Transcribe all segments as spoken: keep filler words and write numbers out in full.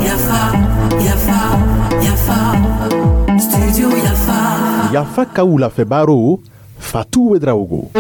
Yafa, Yafa, Yafa, Studio Yafa. Yafa ka wulafɛ baro, Fatu Ouedraogo.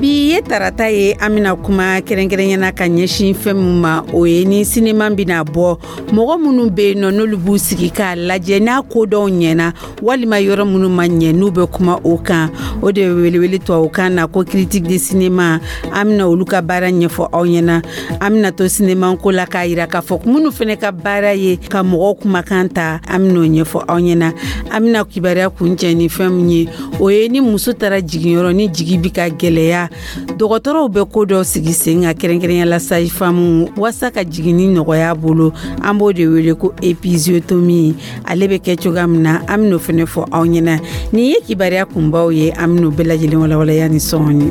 Bi ye tarata ye, an bena kuma kɛrɛnkɛrɛnyana ka ɲɛsin fɛn min ma, o ye ni sinema bɛna bɔ, mɔgɔ minnu be yen nɔ, n'olu b'u sigi k'a lajɛ, n'a kodɔw ɲɛna walima yɔrɔ minnu ma ɲɛ, n'u bɛ kuma o kan, o de bɛ welewele tubabukan na ko critique de cinéma. An bena olu ka baara ɲɛfɔ aw ɲɛna. An bena to sinema ko la k'a yira k'a fɔ minnu fɛnɛ ka baara ye ka mɔgɔw kumakan ta, an ben'o ɲɛfɔ aw ɲɛna. An bena kibaruya kuncɛ ni fɛn min ye, o ye ni muso taara jiginyɔrɔ, ni jigi bi ka gwɛlɛya, dɔgɔtɔrɔw bɛ ko dɔ sigi sen kan, kɛrɛnkɛrɛnya la sage-femme, waasa ka jiginni nɔgɔya bolo. An b'o de wele ko épisiotomie. Ale bɛ kɛ cogoya min na, an ben'o fɛnɛ fɔ aw ɲɛna. Nin ye kibaruya kunbaw ye, an ben'o bɛɛ lajɛlen walawalaya ni sɔɔni.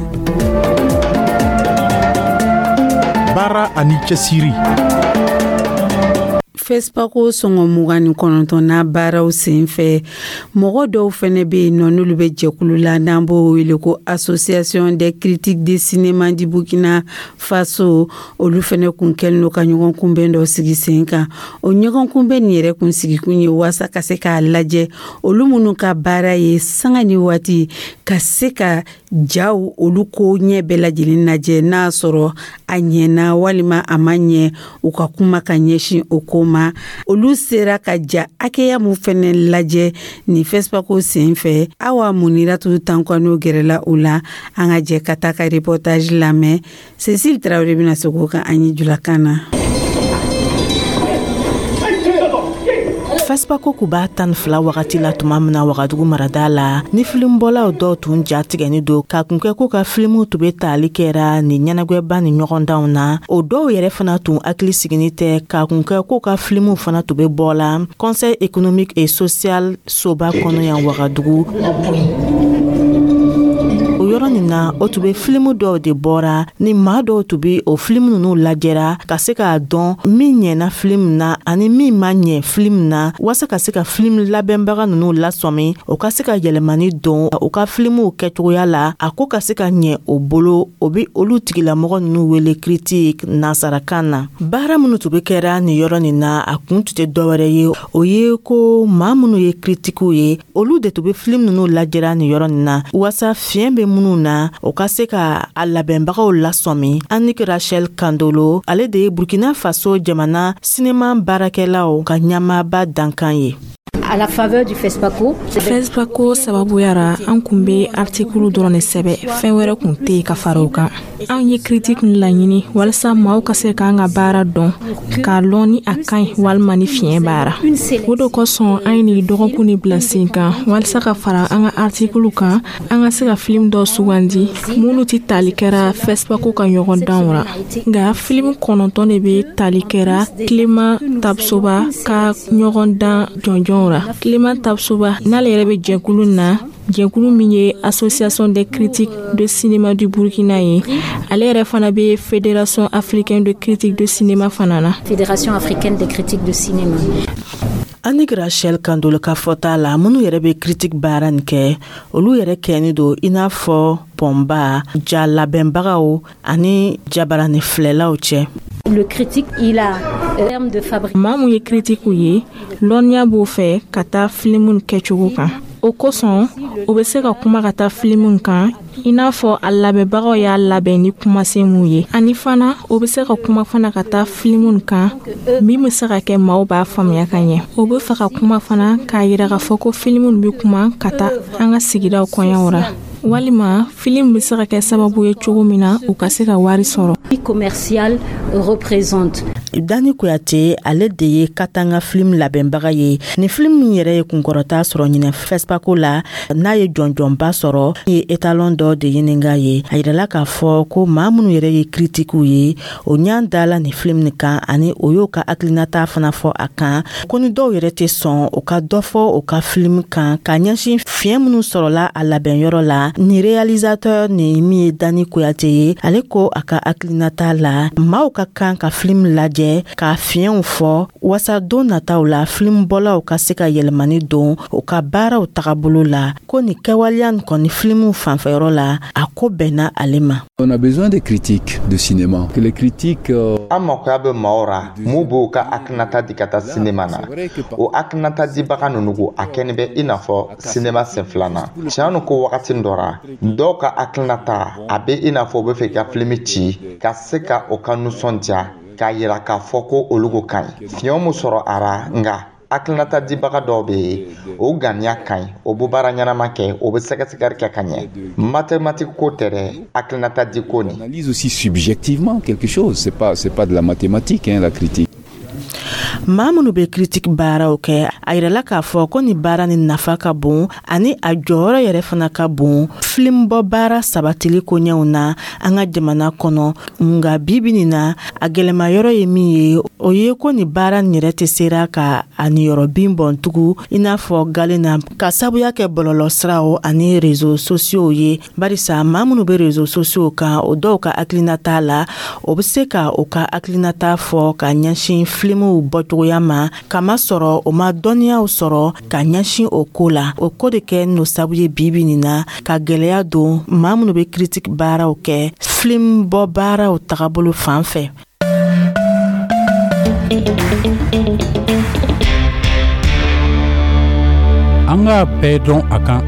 Baara ani cɛsiri. FESPACO sɔngɔ mugan ni kɔnɔntɔnna baaraw sen fɛ, mɔgɔ dɔw fɛnɛ be yen nɔ, n'olu bɛ jɛkulu la n'an b'o wele ko Association des critiques de cinéma du Burkina Faso. Olu fɛnɛ kun kɛlen don ka ɲɔgɔn kunbɛn dɔ sigi sen kan. O ɲɔgɔn kunbɛn nin yɛrɛ kun sigikun ye waasa ka se k'a lajɛ, olu minnu ka baara ye sanga ni waati ka se ka jaw olu ko ɲɛ bɛɛ lajɛlen lajɛ, n'a sɔrɔ a ɲɛna walima a ma ɲɛ, u ka kuma ka ɲɛsin o ko ma. Olu sera ka ja hakɛya mun fɛnɛ lajɛ nin FESPACO sen fɛ, Awa Muniratu Tankwano gɛrɛla u la. An ka jɛ ka taa ka reportage lamɛn. Cécile Tarawele bɛna segin o kan an ye julakan na. FESPACO kuba tan fila wagati la tuma min na Wagadugu marada la, ni filimbɔlaw dɔw tun ja tigɛni don k'a kun kɛ k'u ka filimuw tun be tali kɛra ni ɲɛnagwɛba ni ɲɔgɔndanw na. O dɔw yɛrɛ fana tun hakili sigini tɛ k'a kun kɛ k'u ka filimuw fana tun be bɔ la Conseil économique et social soba kɔnɔ yan Wagadugu. O yɔrɔ nin na, o tun be filimu dɔw de bɔra ni maa dɔw tun be o filimu nunu lajɛra ka se k'a dɔn min ɲɛna filimu na ani min ma ɲɛ filimu na, waasa ka se ka filimu labɛnbaga nunu lasɔmi, o ka se ka yɛlɛmani don u ka filimuw kɛcogoya la, a ko ka se ka ɲɛ o bolo. O be olu tigilamɔgɔ nunu wele critique nansarakan na. Baara minnu tun be kɛra nin yɔrɔ nin na, a kun tun tɛ dɔwɛrɛ ye, o ye ko maa minnu ye kritikiw ye, olu de tun be filimu nunu lajɛra nin yɔrɔ nin na, waasa fiɲɛ be minnu na, o ka se ka a labɛnbagaw lasɔmi. Annick Rachel Kandolo, ale de ye Burkina Faso jamana sinema baarakɛlaw ka ɲɛmaaba dankan ye. À la faveur du FESPACO. FESPACO sababuya ra, an kun be artikulu dɔrɔn de sɛbɛ, fɛn wɛrɛ kun tɛ yen ka fara o kan. Anw ye critique laɲini walasa maaw ka se k'an ka baara dɔn, k'a lɔn ni a ka ɲi walima ni fiɲɛ b'a ra. O de kosɔn an ye nin dɔgɔkun ni bila sen kan, walasa ka fara an ka artikulu kan, an ka se ka film dɔ sugandi minnu tɛ tali kɛra FESPACO ka ɲɔgɔndanw ra. Nka film kɔnɔntɔn de bɛ tali kɛra Clément Tapsoba ka ɲɔgɔndan jɔnjɔnw ra. Clément Tapsoba n'ale yɛrɛ bɛ jɛkulu na, jɛkulu min ye Association des critiques de cinéma du Burkina ye, ale yɛrɛ fana bɛ Fédération africaine de critique de cinéma fana na. Fédération africaine des critiques de cinéma. Annick Rachel Kandolo ka fɔta la, minnu yɛrɛ bɛ critique baara nin kɛ, olu yɛrɛ kɛni don i n'a fɔ pɔnba ja labɛnbagaw ani jabarani filɛlaw cɛ. Le critique, il a terme de fabrique. Maa mun ye critiquew ye, lɔnniya b'o fɛ ka taa filimu kɛcogo kan. O kosɔn o bɛ se ka kuma ka taa filimu kan, i n'a fɔ a labɛnbagaw y'a labɛn ni kumasen mun ye, ani fana o bɛ se ka kuma fana ka taa filimu kan min bɛ se ka kɛ maaw b'a faamuya ka ɲɛ. O bɛ fɛ ka kuma fana k'a yira k'a fɔ ko filimu bɛ kuma ka taa an ka sigidaw kɔɲɔw ra, walima filimu bɛ se ka kɛ sababu ye cogo min na u ka se ka wari sɔrɔ. Commercial représente. Dani Kuyate, ale de ye Katanga film labɛnbaga ye. Ni film min yɛrɛ ye kunkɔrɔta sɔrɔ ɲinɛ FESPACO la, n'a ye jɔnjɔnba sɔrɔ, ye étalon dɔ de ɲininka ye. A yirala k'a fɔ ko maa minnu yɛrɛ ye kritikiw ye, o ɲan dala nin film nin kan, ani o y'o ka hakilinata fana fɔ a kan, ko ni dɔw yɛrɛ tɛ sɔn o ka dɔ fɔ o ka film kan ka ɲɛsin fiɲɛ minnu sɔrɔla a labɛnyɔrɔ la. Ni réalisateur ni min ye Dani Kuyate ye, ale ko a ka hakilinata la, maaw ka kan ka film lajɛ. lajɛ k'a fiɲɛw fɔ wasa don nataw la filimubɔlaw ka se ka yɛlɛmani don u ka baaraw tagabolo la. Ko nin kɛwaleya nin kɔni filimuw fanfɛyɔrɔ la, a ko bɛnna ale ma. On a besoin des critiques de cinéma. Que les critiques euh, An makoya bɛ maaw ra mun b'o ka hakilinata di ka taa sinema na. O hakilinata dibaga ninnu ko a kɛni bɛ i n'a fɔ sinema sen filanan. Tiɲɛ nu ko wagati dɔ ra, dɔw ka hakilinata a bɛ i n'a fɔ u bɛ fɛ ka filimi ci ka se ka o ka nisɔndiya k'a yira k'a fɔ ko olu ko ka ɲi. Fiɲɛ mun sɔrɔ a ra, nka hakilinata dibaga dɔw bɛ yen, o ganiya ka ɲi, o bɛ baara ɲɛnama kɛ, o bɛ sɛgɛsɛgɛli kɛ ka ɲɛ. Mathématique ko tɛ dɛ, hakilinata di ko nin. Analyse aussi subjectivement quelque chose. C'est pas c'est pas de la mathématique, hein, la critique. Maa minnu bɛ kiritiki baaraw kɛ, a yirala k'a fɔ ko nin baara ni nafa ka bon ani a jɔyɔrɔ yɛrɛ fana ka bon filimubɔ baara sabatili koɲɛw na an ka jamana kɔnɔ. Nga bibi nin na, a gwɛlɛma yɔrɔ ye min ye, o ye ko nin baara nin yɛrɛ tɛ sera ka a niyɔrɔ bin bɔn tugun i n'a fɔ galen na, ka sabuya kɛ bɔlɔlɔ siraw ani réseaux sociaux ye, barisa maa minnu bɛ réseaux sociaux kan, o dɔw ka hakilinata la, o bɛ se ka o ka hakilinata fɔ ka ɲɛsin filimuw bɔcogoya ma, kamasɔrɔ o ma dɔnniyaw sɔrɔ ka ɲɛsin o ko la. O ko de kɛ n'o sabu ye bibi nin na ka gwɛlɛya don maa minnu bɛ kiritiki baaraw kɛ film bɔ baaraw tagabolo fan fɛ. An k'a bɛɛ dɔn a kan.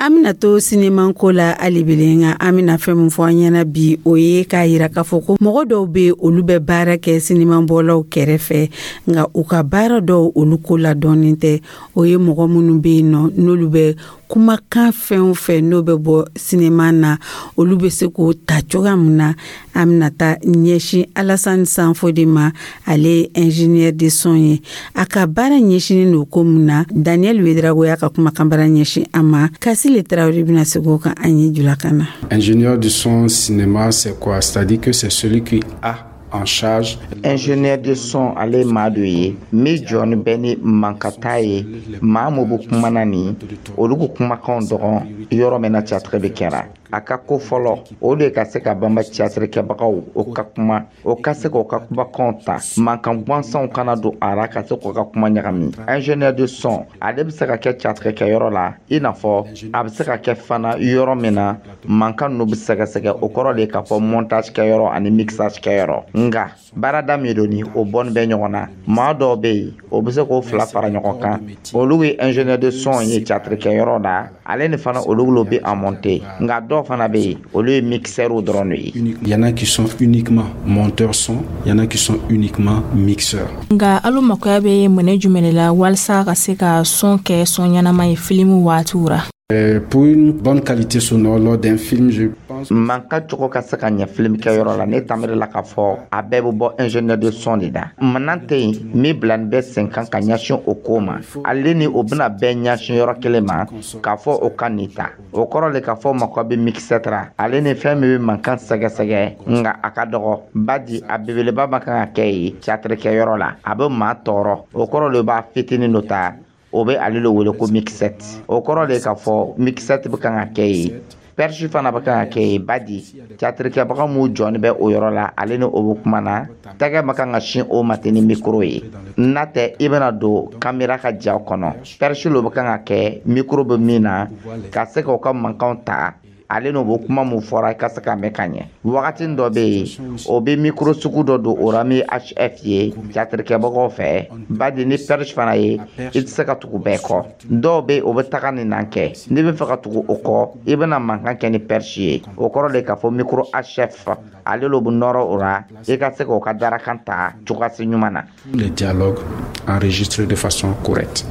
An bɛna to sinemanko la halibele, nka an bɛna fɛn min fɔ an ɲɛna bi, o ye k'a yira k'a fɔ ko mɔgɔ dɔw bɛ, olu bɛ baara kɛ sinemanbɔlaw kɛrɛfɛ, nka u ka baara dɔw olu ko ladɔnnen tɛ. O ye mɔgɔ minnu bɛ yen nɔ, n'olu bɛ kumakan fɛn o fɛn n'o bɛ bɔ sinema na, olu bɛ se k'o ta cogoya min na. An bɛna taa ɲɛsin Alasani Sanfo de ma. Ale ye ingénieur de son ye. A ka baara ɲɛsinnen don ko mun na? Daniel Wedrago y'a ka kumakanbara ɲɛsin a ma. Kasile Tarawele bɛna segin o kan an ye julakan na. Ingénieur du son cinéma, c'est quoi? C'est-à-dire que c'est celui qui a en charge. Ingénieur de son, ale maa dɔ ye min jɔni bɛ ni mankata ye. Maa mun bɛ kuma na nin, olu ko kumakanw dɔgɔn yɔrɔ min na théâtre bɛ kɛra, a ka ko fɔlɔ o de ka se ka banba théâtre kɛbagaw o ka kuma, o ka se k'o ka kumakanw ta, mankan gansanw kana don a ra ka se k'o ka kuma ɲagami. Ingénieur de son, ale bɛ se ka kɛ théâtre kɛyɔrɔ la, i n'a fɔ a bɛ se ka kɛ fana yɔrɔ min na mankan ninnu bɛ sɛgɛsɛgɛ. O kɔrɔ de ye k'a fɔ montage kɛyɔrɔ ani mixage kɛyɔrɔ. Nka baarada min don ni o bɔnni bɛ ɲɔgɔn na, maa dɔw bɛ yen, o bɛ se k'o fila fara ɲɔgɔn kan. Olu ye ingénieur de son ye théâtre kɛyɔrɔ la, ale ni fana olu bɛ a monter. Nka dɔw fana bɛ yen, olu ye mixeurs dɔrɔn de ye. Il y en a qui sont uniquement monteurs son, il y en a qui sont uniquement mixeurs. Nka alu makoya bɛ minɛ jumɛn de la walasa ka se ka son kɛ son ɲɛnama ye filimu waatiw ra? Euh, pour une bonne qualité sonore lors d'un film, je pense. Mankan cogo ka se ka ɲɛ film kɛyɔrɔ la, ne tamiri la k'a fɔ a bɛɛ bɛ bɔ ingénieur de son de da. Manan tɛ yen min bila nin bɛ sen kan ka ɲɛsin o ko ma. Ale ni o bɛna bɛɛ ɲɛsin yɔrɔ kelen ma k'a fɔ o ka nin ta. O kɔrɔ le k'a fɔ mako bɛ mixeur ra, ale ni fɛn min bɛ mankan sɛgɛsɛgɛ, nka a ka dɔgɔ badi a belebeleba ma kan ka kɛ yen théâtre kɛyɔrɔ la, a bɛ maa tɔɔrɔ. O kɔrɔ le b'a fitinin dɔ ta, o bɛ ale le wele ko mixette. O kɔrɔ de k'a fɔ mixette bɛ kan ka kɛ yen, perche fana bɛ kan ka kɛ yen, badi théâtre kɛbaga mun jɔni bɛ o yɔrɔ la, ale ni o bɛ kuma na, tɛgɛ ma kan ka sin o ma ten ni micro ye. N'a tɛ, i bɛna don caméra ka ja kɔnɔ. Perche lo bɛ kan ka kɛ micro bɛ min na ka se k'o ka mankanw ta, ale n'o bɛ kuma mun fɔra i ka se ka mɛn ka ɲɛ. Wagati dɔ bɛ yen, o bɛ micro sugu dɔ don o la min ye H F ye théâtre kɛbagaw fɛ, badi ni perche fana ye, i tɛ se ka tugu bɛɛ kɔ. Dɔw bɛ yen, o bɛ taga nin nan kɛ. N'i bɛ fɛ ka tugu o kɔ, i bɛna mankan kɛ ni perche ye. O kɔrɔ de k'a fɔ micro H F, ale lo bɛ nɔrɔ o la, i ka se k'o ka darakan ta cogoya ɲuman na. Les dialogues enregistrés de façon correcte.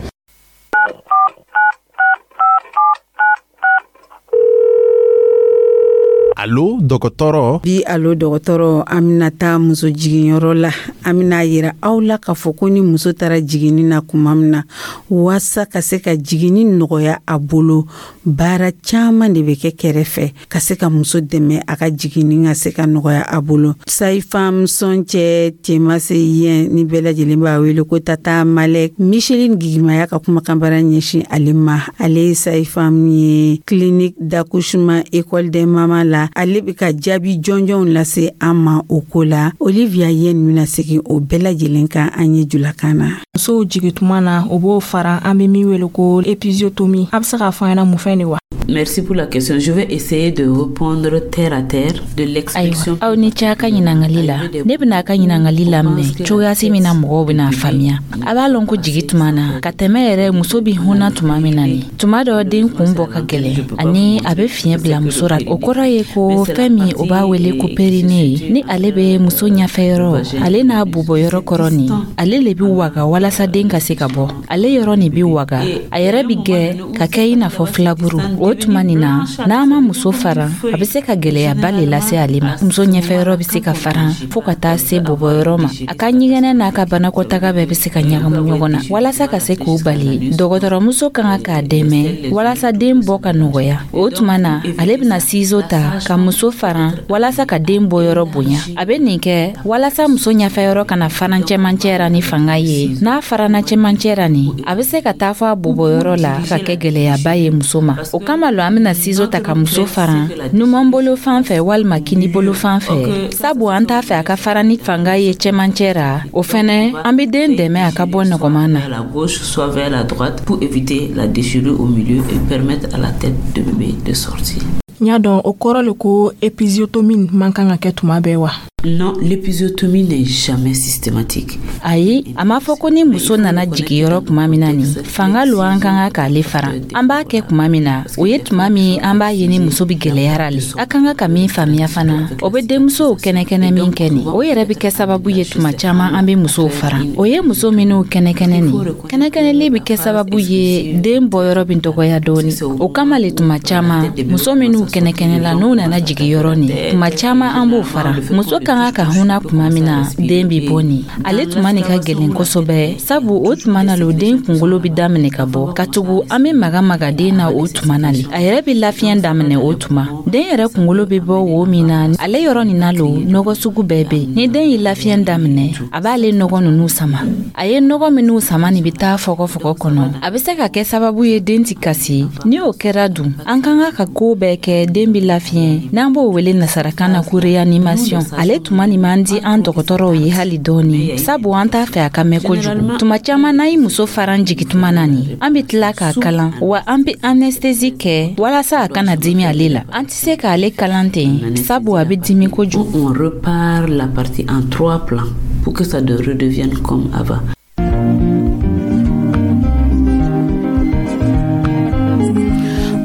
Alo dɔgɔtɔrɔ. Bi alo dɔgɔtɔrɔ, an bɛna taa muso jiginyɔrɔ la. An bɛna yira aw la k'a fɔ ko ni muso taara jiginni na kuma min na, waasa ka se ka jiginni nɔgɔya a bolo, baara caman de bɛ kɛ kɛrɛfɛ ka se ka muso dɛmɛ a ka jiginni ka se ka nɔgɔya a bolo. Sage-femme Sɔncɛ Cɛmase yɛn ni bɛɛ lajɛlen b'a wele ko Tata Malɛk, Micheline Gigimaya ka kumakanbara ɲɛsin ale ma. Ale ye sage-femme ye clinique d'accouchement école des mamans la. la, ale bɛ ka jaabi jɔnjɔnw lase an ma o ko la. Olivia Yen bɛna segin o bɛɛ lajɛlen kan an ye julakan na. Musow jigi tuma na, o b'o fara, an bɛ min wele ko épisiotomie. A bɛ se k'a fɔ an ɲɛna mun fɛn de wa? Merci pour la question. Je vais essayer de répondre terre à terre de l'expression. Aw ni ce a ka ɲiningali la. Ne bɛna a ka ɲiningali laminɛ cogoyasi min na mɔgɔw bɛna faamuya. A b'a lɔn ko jigi tuma na, ka tɛmɛ yɛrɛ, muso bi hunna tuma min na, ni tuma dɔ den kun bɔ ka gɛlɛn ani a bɛ fiɲɛ bila muso ra, o kɔrɔ ye ko fɛn min o b'a wele ko périnée ye, ni ale bɛ muso ɲɛfɛ yɔrɔ, ale n'a bobɔ yɔrɔ kɔrɔ nin, ale le bi waga walasa den ka se ka bɔ. Ale yɔrɔ nin bi waga, a yɛrɛ bi gɛ ka kɛ i n'a fɔ filaburu. O tuma nin na, n'a ma muso fara, a bɛ se ka gwɛlɛyaba le lase ale ma. Muso ɲɛfɛyɔrɔ bɛ se ka faran fɔɔ ka taa se bɔbɔyɔrɔ ma, a ka ɲɛgɛnɛ n'a ka banakɔtaga bɛɛ bɛ se ka ɲagamu ɲɔgɔn na. Walasa ka se k'o bali, dɔgɔtɔrɔmuso ka kan k'a dɛmɛ walasa den bɔ ka nɔgɔya. O tuma na, ale bɛna ciseau ta ka muso faran walasa ka den bɔyɔrɔ bonya. A bɛ nin kɛ walasa muso ɲɛfɛyɔrɔ kana faran cɛmancɛ ra ni fanga ye. N'a farana cɛmancɛ ra nin, a bɛ se ka taa fɔ a bɔbɔyɔrɔ la ka kɛ gwɛlɛyaba ye muso ma. O kama lo an bɛna ciseau ta ka muso faran numan bolo fan fɛ walima kini bolo fan fɛ, sabu an t'a fɛ a ka fara ni fanga ye cɛmancɛ ra. O fɛnɛ, an be den dɛmɛ a ka bɔ nɔgɔman na. La gauche, soit vers la droite, pour éviter la déchirure au milieu et permettre à la tête de bébé de sortir. N y'a dɔn, o kɔrɔ le ko épisiotomie man kan ka kɛ tuma bɛɛ wa? Non, l'épisiotomie n'est jamais systématique. Ayi, a m'a fɔ ko ni muso nana jigiyɔrɔ tuma min na, nin fanga lo an kan ka k'ale fara. An b'a kɛ tuma min na, o ye tuma min an b'a ye ni muso bi gwɛlɛyara le. A kan ka ka min faamuya fana, o be denmusow kɛnɛkɛnɛ min kɛ nin, o yɛrɛ be kɛ sababu ye tuma caaman an be musow fara. O ye muso minw kɛnɛkɛnɛ nin, kɛnɛkɛnɛli be kɛ sababu ye den bɔyɔrɔ bi dɔgɔya dɔɔni. O kama le, tuma caaman muso minw kɛnɛkɛnɛ la, n'u nana jigiyɔrɔ nin, tuma caaman an b'o fara. Muso kan ka ka hunna tuma min na den bi bɔ nin, ale tuma nin ka gwɛlɛn kosɛbɛ, sabu o tuma na lo den kungolo bi daminɛ ka bɔ, ka tugu an be maga maga den na. O tuma na le a yɛrɛ be lafiɲɛ daminɛ. O tuma den yɛrɛ kungolo be bɔ wo min na, ale yɔrɔ nin na lo nɔgɔ sugu bɛɛ be. Ni den ye lafiɲɛ daminɛ, a b'ale nɔgɔ nunu sama. A ye nɔgɔ minw sama nin bi taa fɔgɔfɔgɔ kɔnɔ, a be se ka kɛ sababu ye den ti kasi. Ni o kɛra dun, an kan ka ka koo bɛɛ kɛ den bi lafiɲɛ, n'an b'o wele nasarakan na ko réanimation. Ale tuma nin man di an dɔgɔtɔrɔw ye hali dɔɔni, sabu an t'a fɛ a ka mɛn kojugu. Tuma caaman n'a ye muso faran jigi tuma na nin, an be tila k'a kalan wa an be anesthésie kɛ walasa a kana dimi ale la. An tɛ se k'ale kalan ten, sabu a be dimi kojugu. On repart la partie en trois plans pour que ça de redevienne comme avant.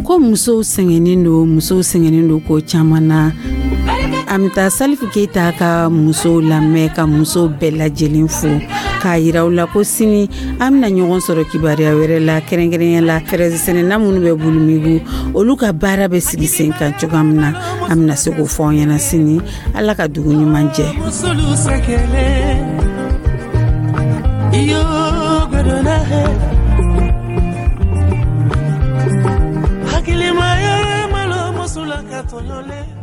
Ko musow sɛgɛnnen don, musow sɛgɛnnen don ko caman na. An bɛ taa Salifu Keyita ka musow lamɛn, ka musow bɛɛ lajɛlen fo, k'a yira u la ko sini an bɛna ɲɔgɔn sɔrɔ kibaruya wɛrɛ la, kɛrɛnkɛrɛnya la fɛrɛsɛnɛna minnu bɛ Bulumigu, olu ka baara bɛ sigi sen kan cogoya min na, an bɛna se k'o fɔ aw ɲɛna sini. Ala ka dugu ɲuman jɛ. Hakilimaya malo musula ka tɔɲɔlen.